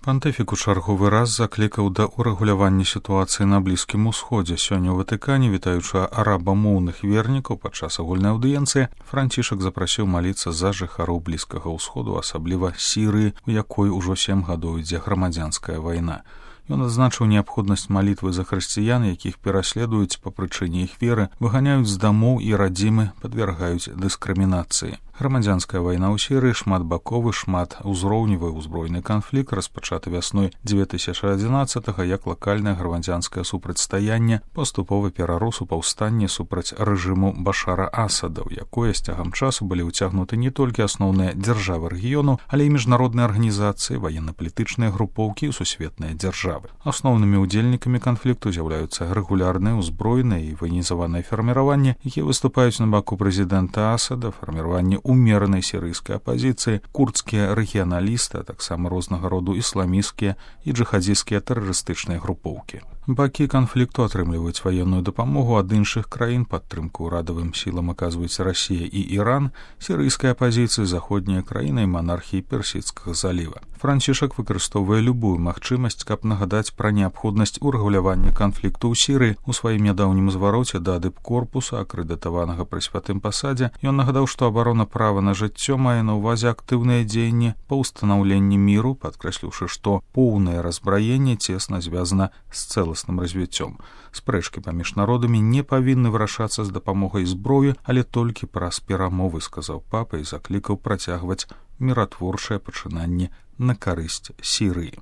Пантыфік у чарговы раз заклікаў да ўрэгулявання сітуацыі на Блізкім Усходзе. Сёння ў Ватыкане, вітаючы арабамоўных вернікаў падчас агульнай аўдыенцыі, Францішак запрасіў маліцца за жыхароў Блізкага Ўсходу, асабліва Сірыі, у якой ужо 7 гадоў ідзе грамадзянская вайна. Ён адзначыў неабходнасць малітвы за хрысціян, якіх пераследуюць па прычыне іх веры, выганяюць з дамоў і радзімы, падвяргаюць дыскрымінацыі. Грамадзянская вайна ў Сірыі шматбаковы, шматузроўневы ўзброены канфлікт, распачаты вясной 2011-го як лакальнае грамадзянскае супрацьстаянне, паступова перарос у паўстанне супраць рэжыму Башара Асада, у якое з цягам часу былі ўцягнуты не толькі асноўныя дзяржавы рэгіёну, але і міжнародныя арганізацыі, ваенна-палітычныя групоўкі і сусветныя дзяржавы. Асноўнымі ўдзельнікамі канфлікту з'яўляюцца рэгулярныя, узброеныя і ваенізаваныя фарміраванні, якія выступаюць на баку прэзідэнта Асада, фарміраванне умеранай сірыйскай апазіцыі, курдскія рэгіяналісты, а таксама рознага роду ісламісцкія і джыхадзісцкія тэрарыстычныя групоўкі. Бакі канфлікту атрымліваюць ваенную дапамогу ад іншых краін, падтрымку ўрадавым сілам аказваюць Расія і Іран, сірыйскай апазіцыі заходнія краіны і монархіі Персідскага заліва. Францішак выкарыстоўвае любую магчымасць, каб нагадаць пра неабходнасць урэгулявання канфлікту ў Сірыі. У сваім нядаўнім звароце да дыпкорпуса, акрэдытаванага пры святым пасадзе, ён нагадаў, што абарона права на жыццё мае на ўвазе актыўныя дзеянні па ўстанаўленні міру, падкрэсліўшы, што поўнае разбраенне цесна звязана з цэласным развіццём. Спрэчкі паміж народамі не павінны вырашацца з дапамогай зброі, але толькі праз перамовы, сказаў папа і заклікаў працягваць міратворчае пачынанне на карысць Сірыі.